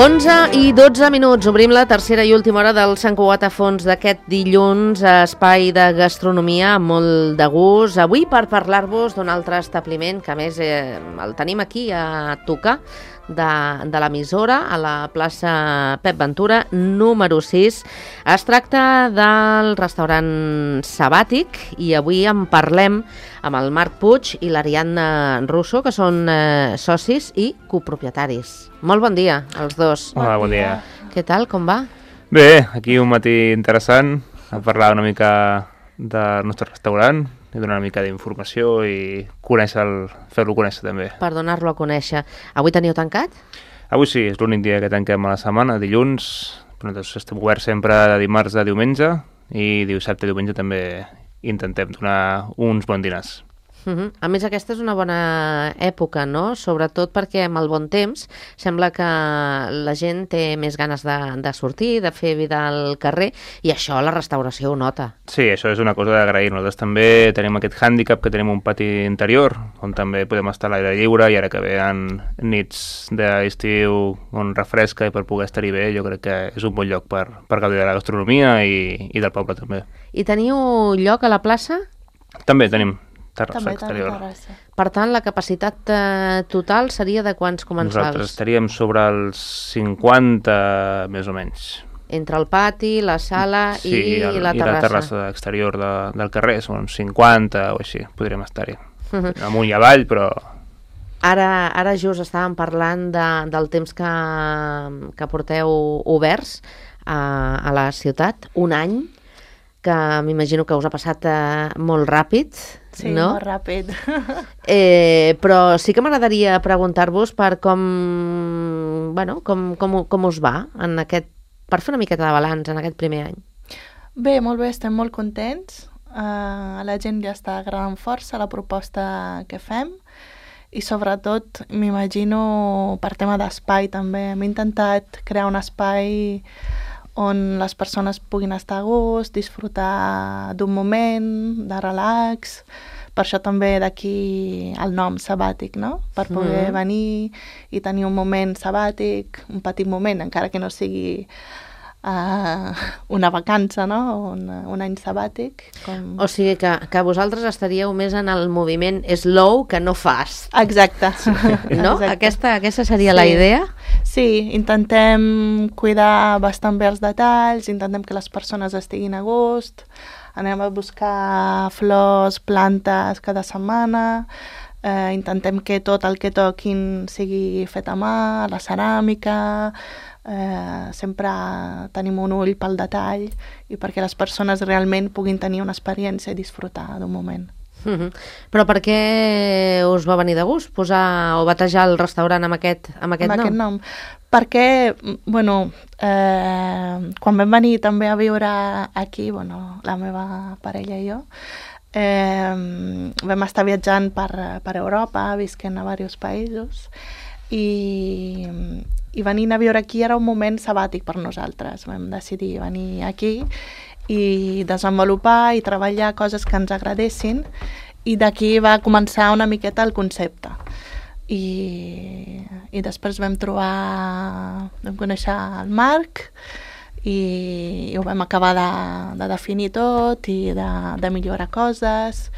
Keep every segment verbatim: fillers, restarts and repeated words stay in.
onze i dotze minuts. Obrim la tercera i última hora del Sant Cugat a Fons d'aquest dilluns, espai de gastronomia amb molt de gust. Avui per parlar-vos d'un altre establiment que a més eh, el tenim aquí a tocar de, de l'emissora, a la plaça Pep Ventura, número sis. Es tracta del restaurant Sabàtic i avui en parlem amb el Marc Puig i l'Ariadna Russo, que són eh, socis i copropietaris. Molt bon dia, als dos. Hola, bon dia. Què tal, com va? Bé, aquí un matí interessant, a parlar una mica del nostre restaurant, i donar una mica d'informació i conèixer el, fer-lo conèixer també. Per donar-lo a conèixer. Avui teniu tancat? Avui sí, és l'únic dia que tanquem a la setmana, dilluns, però nosaltres estem oberts sempre de dimarts a diumenge i dissabte i diumenge també intentem donar uns bons dinars. Uh-huh. A més, aquesta és una bona època, no? Sobretot perquè amb el bon temps sembla que la gent té més ganes de, de sortir, de fer vida al carrer, i això la restauració ho nota. Sí, això és una cosa d'agrair. Nosaltres també tenim aquest hàndicap que tenim un pati interior, on també podem estar a l'aire lliure, i ara que venen nits d'estiu on refresca i per poder estar-hi bé, jo crec que és un bon lloc per, per gaudir de la gastronomia i, i del poble també. I teniu lloc a la plaça? També tenim. Terrassa També, exterior. terrassa. Per tant, la capacitat eh, total seria de quants comensals? Nosaltres estaríem sobre els cinquanta, més o menys. Entre el pati, la sala sí, i, el, la i terrassa. la terrassa exterior de, del carrer, són cinquanta o així, podríem estar-hi. Uh-huh. Amunt i avall, però... Ara, ara just estàvem parlant de, del temps que, que porteu oberts a, a la ciutat, un any, que m'imagino que us ha passat eh, molt ràpid, Sí, no? molt ràpid. Eh, però sí que m'agradaria preguntar-vos per com, bueno, com, com, com us va en aquest, per fer una miqueta de balanç en aquest primer any. Bé, molt bé, estem molt contents. Uh, a la gent ja està agradant força la proposta que fem i sobretot m'imagino per tema d'espai també. Hem intentat crear un espai on les persones puguin estar a gust, disfrutar d'un moment de relax. Per això també d'aquí el nom sabàtic, no? Per poder mm. venir i tenir un moment sabàtic, un petit moment, encara que no sigui uh, una vacança, no? Un, un any sabàtic. Com... O sigui que, que vosaltres estaríeu més en el moviment slow que no fast. Exacte. Sí. No? Exacte. Aquesta, aquesta seria sí. la idea? Sí, intentem cuidar bastant bé els detalls, intentem que les persones estiguin a gust, anem a buscar flors, plantes cada setmana, eh, intentem que tot el que toquin sigui fet a mà, la ceràmica, eh, sempre tenim un ull pel detall i perquè les persones realment puguin tenir una experiència i disfrutar d'un moment. Uh-huh. Però per què us va venir de gust posar o batejar el restaurant amb aquest, amb aquest amb nom? Aquest nom? Perquè, bueno, eh, quan vam venir també a viure aquí, bueno, la meva parella i jo, eh, vam estar viatjant per, per Europa, visquent a diversos països, i, i venint a viure aquí era un moment sabàtic per nosaltres. Vam decidir venir aquí i desenvolupar i treballar coses que ens agradessin, i d'aquí va començar una miqueta el concepte. I, i després vam trobar, vam conèixer el Marc i, i ho vam acabar de, de definir tot i de, de millorar coses,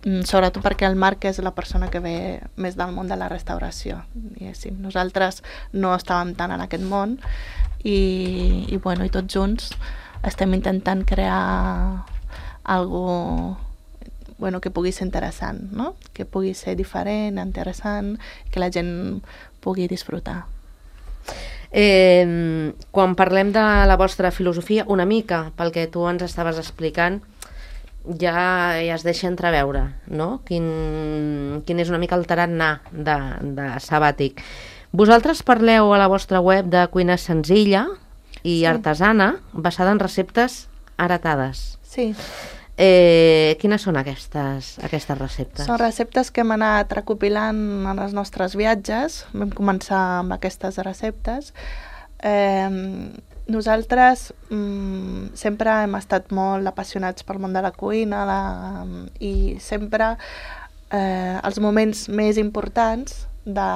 sobretot perquè el Marc és la persona que ve més del món de la restauració. Diguéssim. Nosaltres no estàvem tant en aquest món i, i, bueno, i tots junts estem intentant crear algo bueno, que pugui ser interessant, no? Que pugui ser diferent, interessant, que la gent pugui disfrutar. Eh, quan parlem de la vostra filosofia, una mica, pel que tu ens estaves explicant, ja, ja es deixa entreveure, no? Quin, quin és una mica el tarannà de, de sabàtic. Vosaltres parleu a la vostra web de cuina senzilla i sí. artesana, basada en receptes heretades. Sí. Eh, quines són aquestes, aquestes receptes? Són receptes que hem anat recopilant en els nostres viatges. Vam començar amb aquestes receptes. Eh, nosaltres mm, sempre hem estat molt apassionats pel món de la cuina la, i sempre eh, els moments més importants de,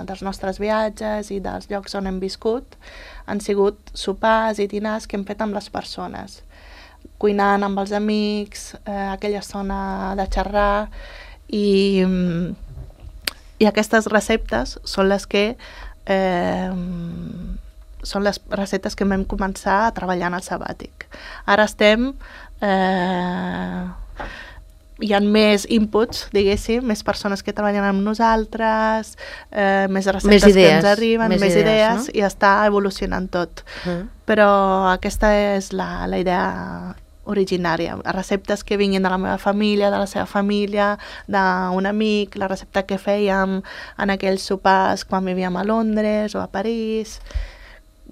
dels nostres viatges i dels llocs on hem viscut han sigut sopars i dinars que hem fet amb les persones, cuinant amb els amics, eh, aquella zona de xerrar, i, i aquestes receptes són les que eh, són les receptes que vam començar a treballar en el sabàtic. Ara estem eh, hi ha més inputs, diguéssim, més persones que treballen amb nosaltres, eh, més receptes més idees, que ens arriben, més, més idees, idees no? I està evolucionant tot. Uh-huh. Però aquesta és la, la idea originària. Receptes que vinguin de la meva família, de la seva família, d'un amic, la recepta que fèiem en aquells sopars quan vivíem a Londres o a París,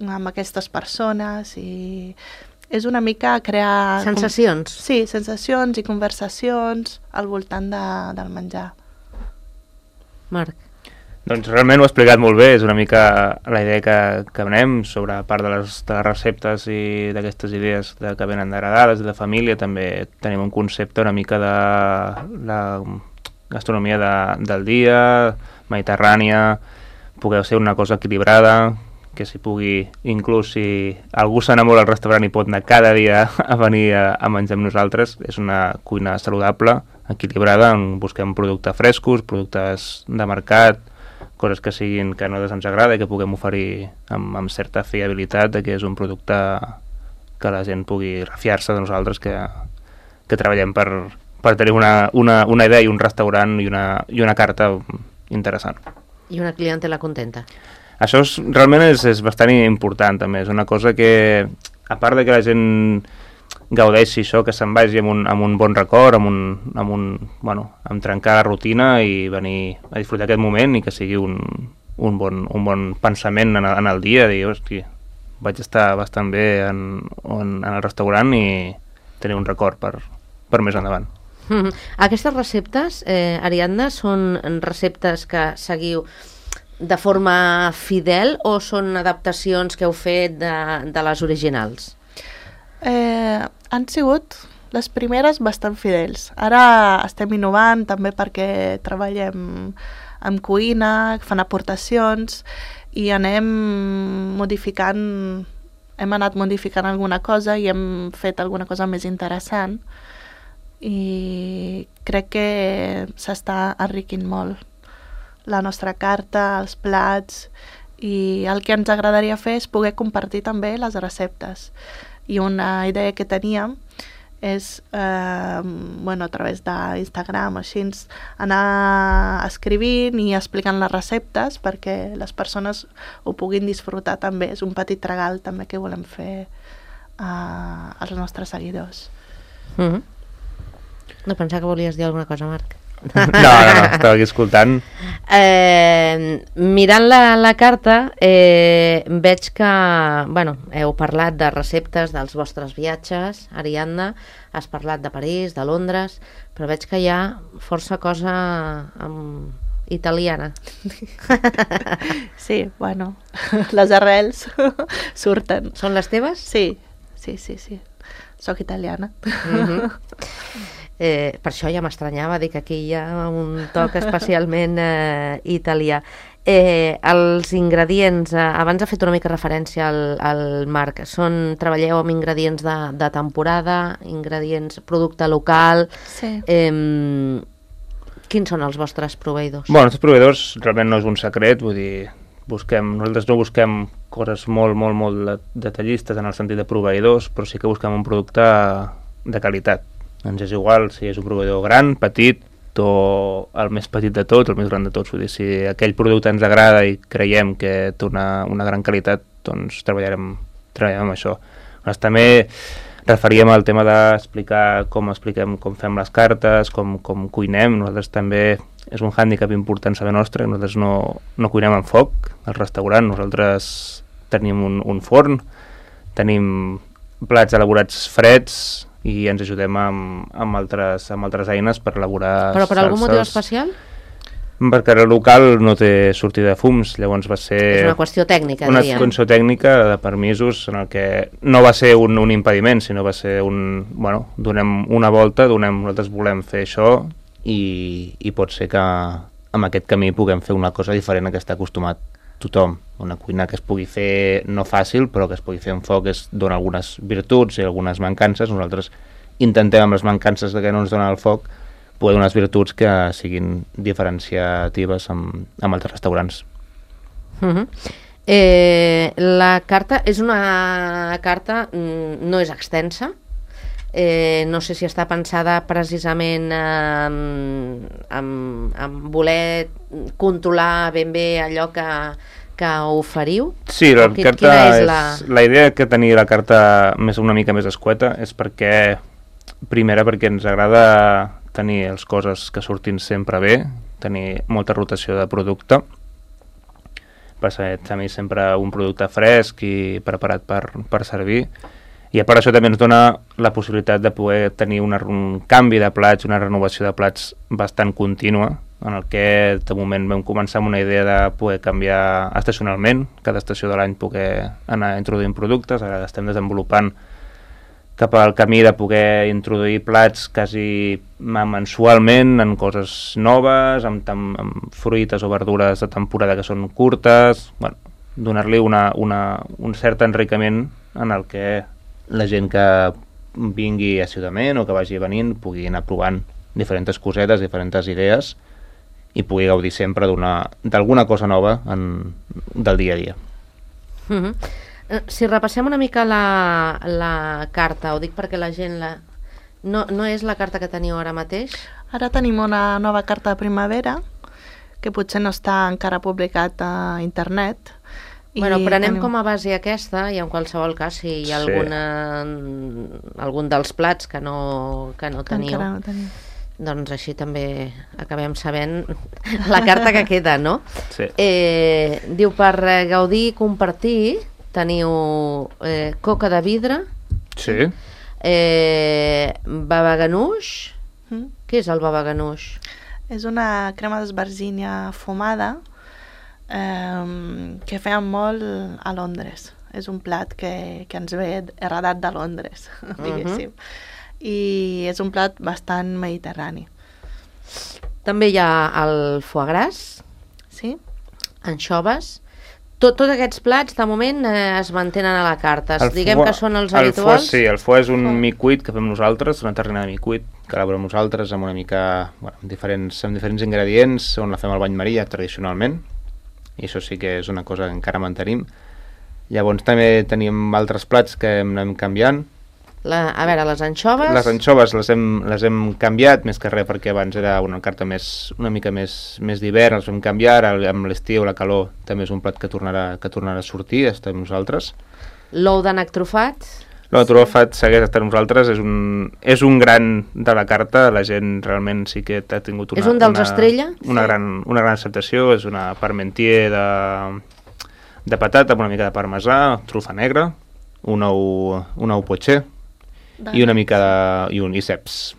amb aquestes persones, i és una mica crear... Sensacions. Com... Sí, sensacions i conversacions al voltant de, del menjar. Marc. Doncs realment ho ha explicat molt bé, és una mica la idea que, que anem sobre part de les, de les receptes i d'aquestes idees de, que venen d'heredades i de família. També tenim un concepte una mica de la gastronomia de, del dia, mediterrània, poder ser una cosa equilibrada, que s'hi pugui, inclús si algú s'enamora al restaurant i pot anar cada dia a venir a, a menjar amb nosaltres, és una cuina saludable, equilibrada, on busquem productes frescos, productes de mercat, coses que siguin que a nosaltres ens agrada i que puguem oferir amb, amb certa fiabilitat de que és un producte que la gent pugui refiar-se de nosaltres, que, que treballem per, per tenir una, una, una idea i un restaurant i una, i una carta interessant. I una clientela contenta. Això és, realment és, és bastant important també, és una cosa que, a part de que la gent gaudeixi això, que se'n vagi amb un, amb un bon record, amb, un, amb, un, bueno, amb trencar la rutina i venir a disfrutar aquest moment i que sigui un, un, bon, un bon pensament en el, en el dia, dir, hosti, vaig estar bastant bé en, en, en el restaurant i tenir un record per, per més endavant. Mm-hmm. Aquestes receptes, eh, Ariadna, són receptes que seguiu de forma fidel o són adaptacions que heu fet de, de les originals? Eh, han sigut les primeres bastant fidels. Ara estem innovant també perquè treballem amb cuina, fan aportacions i anem modificant, hem anat modificant alguna cosa i hem fet alguna cosa més interessant i crec que s'està enriquint molt la nostra carta, els plats, i el que ens agradaria fer és poder compartir també les receptes. I una idea que teníem és, eh, bueno, a través d'Instagram o així, anar escrivint i explicant les receptes perquè les persones ho puguin disfrutar també. És un petit regal també que volem fer eh, als nostres seguidors. Mm-hmm. No pensava que volies dir alguna cosa, Marc. No, no, no, estava aquí escoltant. Eh, mirant la, la carta, eh, veig que, bueno, heu parlat de receptes dels vostres viatges, Ariadna, has parlat de París, de Londres, però veig que hi ha força cosa amb... italiana. Sí, bueno, les arrels surten. Són les teves? Sí, sí, sí, sí. Soc italiana. Mm-hmm. Eh, per això ja m'estranyava dir que aquí hi ha un toc especialment eh, italià. Eh, els ingredients, eh, abans ha fet una mica referència al, al Marc, són, treballeu amb ingredients de, de temporada, ingredients, producte local... Sí. Eh, quins són els vostres proveïdors? Bueno, els proveïdors realment no és un secret, vull dir, busquem, nosaltres no busquem coses molt, molt, molt detallistes en el sentit de proveïdors, però sí que busquem un producte de qualitat. Ens és igual si és un proveïdor gran, petit o el més petit de tots, el més gran de tots. Vull dir, si aquell producte ens agrada i creiem que té una, una gran qualitat, doncs treballarem, treballarem amb això. Nosaltres també referíem al tema d'explicar com expliquem, com fem les cartes, com, com cuinem. Nosaltres també és un hàndicap important saber nostre, nosaltres no, no cuinem en foc al restaurant, nosaltres tenim un, un forn, tenim plats elaborats freds, i ens ajudem amb, amb, altres, amb altres eines per elaborar Però per salses. Algun motiu especial? Perquè el local no té sortida de fums, llavors va ser... És una qüestió tècnica, una diríem. Una qüestió tècnica de permisos en el que no va ser un, un impediment, sinó va ser un... Bueno, donem una volta, donem, nosaltres volem fer això i, i pot ser que amb aquest camí puguem fer una cosa diferent a que està acostumat tothom. Una cuina que es pugui fer no fàcil, però que es pugui fer amb foc, es dona algunes virtuts i algunes mancances. Nosaltres intentem amb les mancances que no ens dona el foc poder donar unes virtuts que siguin diferenciatives amb, amb altres restaurants. Uh-huh. eh, la carta és una carta, no és extensa, eh, no sé si està pensada precisament eh, amb, amb voler controlar ben bé allò que, que oferiu? Sí, la qui, carta és, és la... la... la idea que tenia la carta més una mica més escueta és perquè, primera, perquè ens agrada tenir les coses que surtin sempre bé, tenir molta rotació de producte, per tenir sempre un producte fresc i preparat per, per servir. I a part això també ens dona la possibilitat de poder tenir una, un canvi de plats, una renovació de plats bastant contínua, en el que de moment vam començar amb una idea de poder canviar estacionalment, cada estació de l'any poder anar introduint productes. Ara estem desenvolupant cap al camí de poder introduir plats quasi mensualment en coses noves, amb, amb fruites o verdures de temporada que són curtes, bueno, donar-li una, una, un cert enriquiment en el que la gent que vingui assiduament o que vagi venint pugui anar provant diferents cosetes, diferents idees i pugui gaudir sempre d'alguna cosa nova en, del dia a dia. Uh-huh. Si repassem una mica la, la carta, ho dic perquè la gent la... no, no és la carta que teniu ara mateix? Ara tenim una nova carta de primavera que potser no està encara publicat a internet. Bueno, prenem tenim... com a base aquesta i en qualsevol cas si hi ha sí. alguna, algun dels plats que no, que no teniu, encara no tenim, doncs així també acabem sabent la carta que queda, no? Sí. Eh, diu, per gaudir i compartir teniu eh, coca de vidre, Sí. eh, baba ganoush. Mm? Què és el baba ganoush? És una crema d'esbarzínia fumada eh, que feien molt a Londres. És un plat que, que ens ve heredat de Londres, diguéssim. I és un plat bastant mediterrani. També hi ha el foie gras, Sí? anxoves. Tot, tots aquests plats, de moment, eh, es mantenen a la carta. El Diguem foie- que són els el habituals. Foie, sí, el foie és un Oh. micuit que fem nosaltres, una terrina de micuit que elaborem nosaltres amb una mica, bueno, amb diferents, amb diferents ingredients, on la fem al bany maria tradicionalment, i això sí que és una cosa que encara mantenim. Llavors també tenim altres plats que hem anem canviant. La, a veure, les anxoves... Les anxoves les hem, les hem canviat, més que res perquè abans era una carta més, una mica més, més d'hivern, les vam canviar, ara amb l'estiu, la calor, també és un plat que tornarà, que tornarà a sortir, estem nosaltres. L'ou d'ànec trufat. No, Trofat segueix estant nosaltres, és un, és un gran de la carta, la gent realment sí que ha tingut una... És un dels una, estrella? Una, Sí. gran, una gran acceptació, és una parmentier de, de patata amb una mica de parmesà, trufa negra, un ou, un ou potxer De... i una mica de... i un i ceps.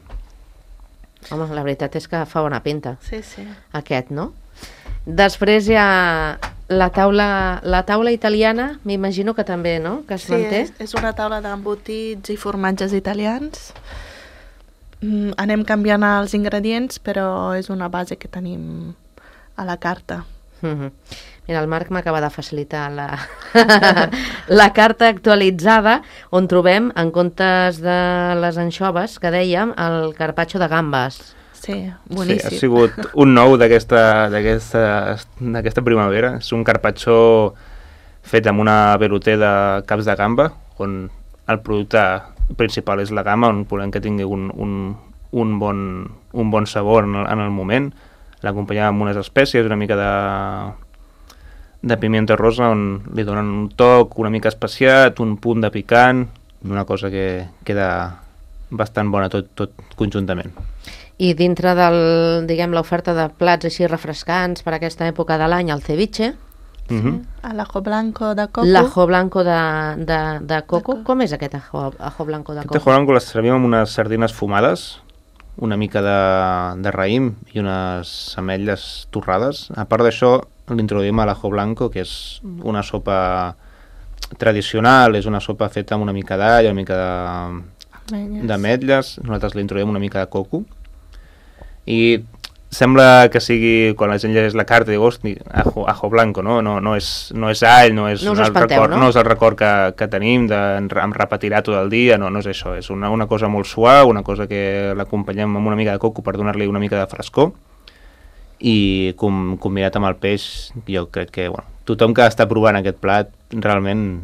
Home, la veritat és que fa bona pinta, Sí, sí. aquest, no? Després hi ha la taula, la taula italiana, m'imagino que també, no?, que es Sí, manté. és, és una taula d'embotits i formatges italians. Mm, anem canviant els ingredients, però és una base que tenim a la carta. Mhm. Mira, el Marc m'acaba de facilitar la, la carta actualitzada on trobem, en comptes de les anxoves, que dèiem, el carpaccio de gambes. Sí, Sí, boníssim. ha sigut un nou d'aquesta d'aquesta d'aquesta primavera. És un carpaccio fet amb una velouté de caps de gamba, on el producte principal és la gamba, on volem que tingui un, un, un, bon, un bon sabor en el, en el moment. L'acompanyem amb unes espècies, una mica de, de pimienta rosa, on li donen un toc una mica especiat, un punt de picant, una cosa que queda bastant bona tot, tot conjuntament. I dintre del, diguem, l'oferta de plats així refrescants per aquesta època de l'any, el ceviche, Uh -huh. A l'ajo blanco de coco. l'ajo blanco de, de, de coco. coco. Com és aquest ajo, ajo blanco de Aquest coco? ajo blanco les servim amb unes sardines fumades, una mica de, de raïm i unes ametlles torrades. A part d'això, l'introduïm a l'ajo blanco, que és una sopa tradicional, és una sopa feta amb una mica d'all, una mica de- Ametlles. d'ametlles. Nosaltres l'introduïm una mica de coco. I sembla que sigui, quan la gent llegeix la carta, diu, hosti, ajo, ajo blanco, no? No, no, és, no és all, no és, no, el espanteu, record, no? no és el record que, que tenim, de, em repetirà tot el dia, no, no és això, és una, una cosa molt suau, una cosa que l'acompanyem amb una mica de coco per donar-li una mica de frescor, i com, combinat amb el peix, jo crec que, bueno, tothom que està provant aquest plat realment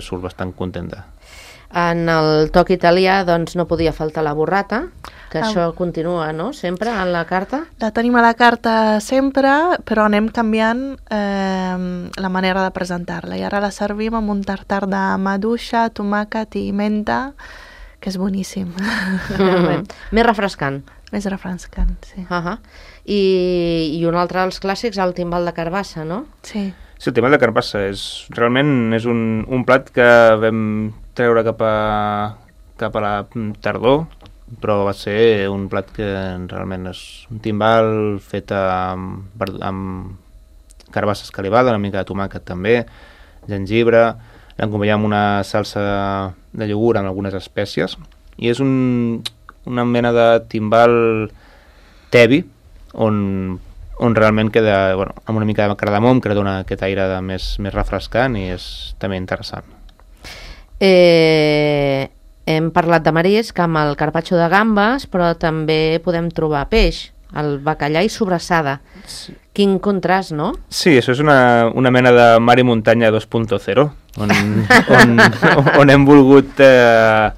surt bastant contenta. En el toc italià, doncs, no podia faltar la burrata, que Ah. això continua, no?, sempre en la carta. La tenim a la carta sempre, però anem canviant eh, la manera de presentar-la. I ara la servim amb un tartar de maduixa, tomàquet i menta, que és boníssim. Mm. Més refrescant. Més refrescant, sí. Uh -huh. I, I un altre dels clàssics, el timbal de carbassa, no? Sí. Sí, el tema de carbassa és, realment és un, un plat que vam treure cap a, cap a la tardor, però va ser un plat que realment és un timbal fet amb, amb carbassa escalivada, una mica de tomàquet també, gengibre, l'acompanyem amb una salsa de iogurt amb algunes espècies, i és un, una mena de timbal tebi, on, on realment queda, bueno, amb una mica de cardamom, que dona aquest aire de més, més refrescant, i és també interessant. Eh, hem parlat de marisc amb el carpaccio de gambes, però també podem trobar peix, el bacallà i sobrassada. Sí. Quin contrast, no? Sí, això és una, una mena de mar i muntanya dos punt zero, on, on, on hem volgut eh,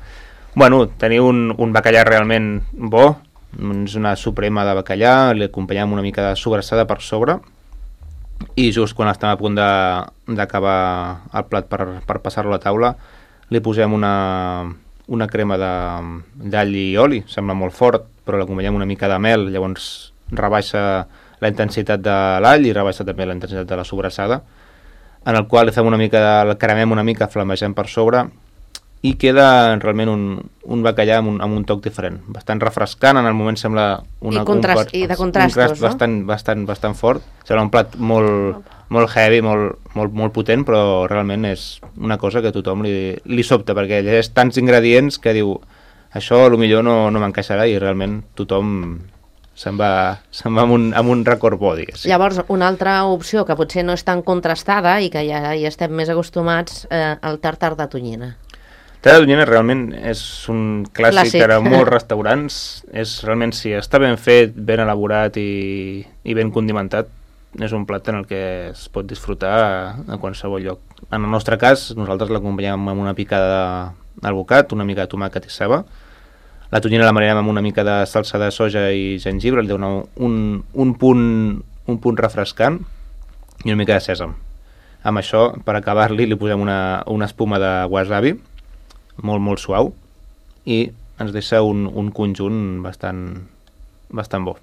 bueno, tenir un, un bacallà realment bo, és una suprema de bacallà, li acompanyem una mica de sobrassada per sobre, i just quan estem a punt d'acabar el plat per, per passar-lo a la taula, li posem una, una crema d'all i oli, sembla molt fort, però l'acompanyem una mica de mel, llavors rebaixa la intensitat de l'all i rebaixa també la intensitat de la sobrassada, en el qual li fem una mica, el cremem una mica, flamegem per sobre, i queda realment un, un bacallà amb un, amb un toc diferent, bastant refrescant, en el moment sembla una, I, contrast, un, i de contrastos, un no? bastant, bastant, bastant fort, sembla un plat molt, molt heavy, molt, molt, molt potent, però realment és una cosa que tothom li, li sobta, perquè llegeix tants ingredients que diu, això potser no, no m'encaixarà, i realment tothom se'n va, se'n va amb, un, amb un record bo, diguéssim. Llavors, una altra opció que potser no és tan contrastada i que ja hi estem més acostumats, eh, el tartar de tonyina. El tartar de tonyina realment és un clàssic, clàssic. per a molts restaurants. És realment, si està ben fet, ben elaborat i, i ben condimentat, és un plat en el que es pot disfrutar a, a qualsevol lloc. En el nostre cas, nosaltres l'acompanyem amb una picada d'alvocat, una mica de tomàquet i ceba. La tonyina la marinem amb una mica de salsa de soja i gengibre, li dona un, un, punt, un punt refrescant, i una mica de sèsam. Amb això, per acabar-li, li posem una, una espuma de wasabi, molt, molt suau, i ens deixa un, un conjunt bastant, bastant bo.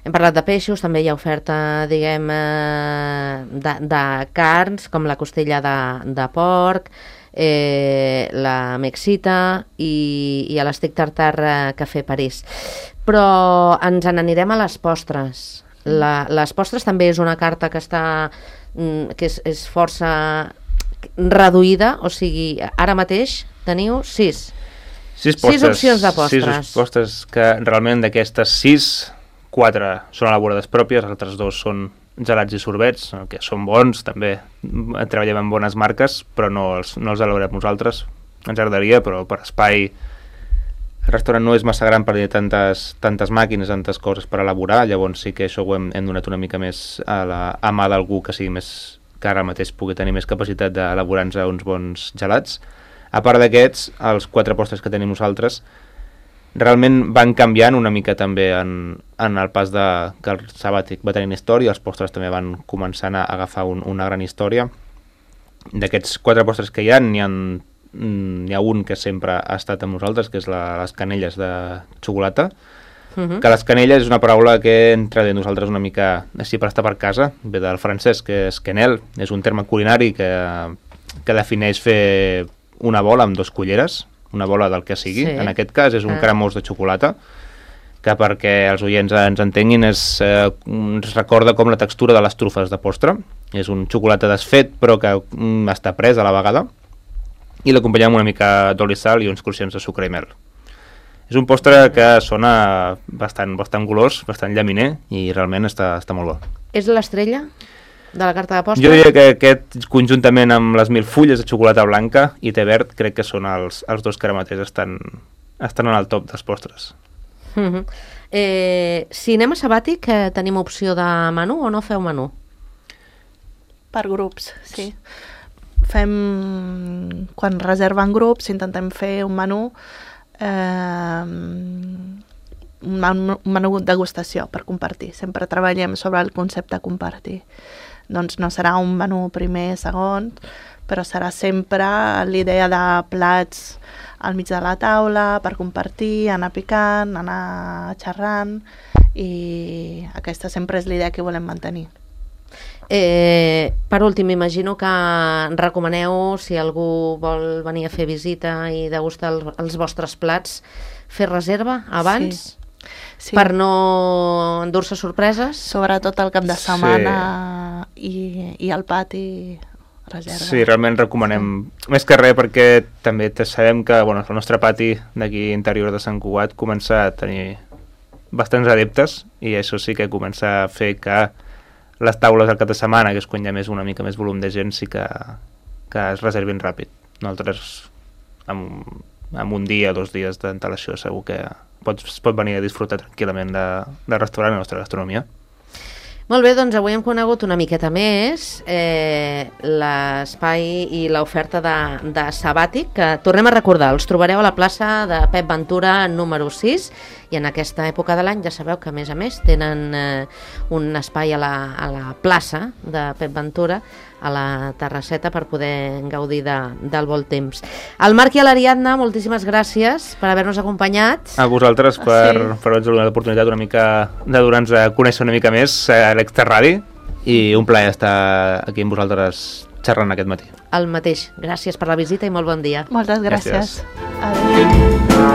Hem parlat de peixos, també hi ha oferta, diguem, eh, de, de carns, com la costella de, de porc, eh, la mexita i, i l'estic tartar eh, Cafè París. Però ens n'anirem a les postres. La, les postres també és una carta que està que és, és força reduïda, o sigui, ara mateix teniu sis. Sis, postres, sis opcions de postres. Sis postres que realment d'aquestes sis, quatre són elaborades pròpies, els altres dos són gelats i sorbets, que són bons, també treballem amb bones marques, però no els, no els elaborem nosaltres. Ens agradaria, però per espai el restaurant no és massa gran per dir tantes, tantes màquines, tantes coses per elaborar, llavors sí que això ho hem, hem donat una mica més a, la, a mà d'algú que sigui més, que ara mateix pugui tenir més capacitat d'elaborar-nos uns bons gelats. A part d'aquests, els quatre postres que tenim nosaltres realment van canviant una mica també en, en el pas de que el sabàtic va tenint història, els postres també van començant a agafar un, una gran història. D'aquests quatre postres que hi ha, n'hi ha, n'hi ha un que sempre ha estat amb nosaltres, que és la, les canelles de xocolata, uh-huh. que les canelles és una paraula que entra de nosaltres una mica així per estar per casa, ve del francès, que és quenelle, és un terme culinari que, que defineix fer una bola amb dos culleres, una bola del que sigui, sí. En aquest cas és un ah. cremós de xocolata, que perquè els oients ens entenguin és, eh, ens recorda com la textura de les trufes de postre, és un xocolata desfet però que mm, està pres a la vegada, i l'acompanyem una mica d'oli, sal i uns cruixents de sucre i mel. És un postre que sona bastant, bastant golós, bastant llaminer, i realment està, està molt bo. És l'estrella de la carta de postres? Jo diria que aquest, conjuntament amb les mil fulles de xocolata blanca i té verd, crec que són els, els dos que ara mateix estan, estan en el top dels postres. Uh-huh. eh, cinema sabàtic, eh, tenim opció de menú o no feu menú? Per grups, sí. Fem, quan reserven grups, intentem fer un menú, eh, un menú, un menú degustació per compartir. Sempre treballem sobre el concepte compartir. Doncs no serà un menú primer, segon, però serà sempre l'idea de plats al mig de la taula per compartir, anar picant, anar xerrant, i aquesta sempre és l'idea que volem mantenir. Eh, per últim, imagino que recomaneu, si algú vol venir a fer visita i degustar el, els vostres plats, fer reserva abans? Sí. Sí. Per no endur-se sorpreses? Sobretot el cap de setmana, sí. i, i al pati reserva. Sí, realment recomanem, sí. Més que res perquè també sabem que bueno, el nostre pati d'aquí interior de Sant Cugat comença a tenir bastants adeptes, i això sí que comença a fer que les taules al cap de setmana, que és quan hi ha més, una mica més volum de gent, sí que, que es reservin ràpid. Nosaltres amb, amb un dia, dos dies d'antelació segur que pots, es pot venir a disfrutar tranquil·lament de, del restaurant, la nostra gastronomia. Molt bé, doncs avui hem conegut una miqueta més eh, l'espai i l'oferta de, de Sabàtic, que tornem a recordar, els trobareu a la plaça de Pep Ventura número sis, i en aquesta època de l'any ja sabeu que a més a més tenen eh, un espai a la, a la plaça de Pep Ventura, a la terrasseta, per poder gaudir de, del bon temps. Al Marc i a l'Ariadna, moltíssimes gràcies per haver-nos acompanyat. A vosaltres per, sí. per haver-nos donat l'oportunitat una mica de donar-nos a conèixer una mica més a l'Extraradi, i un plaer estar aquí amb vosaltres xerrant aquest matí. El mateix. Gràcies per la visita i molt bon dia. Moltes gràcies. Gràcies. Adéu.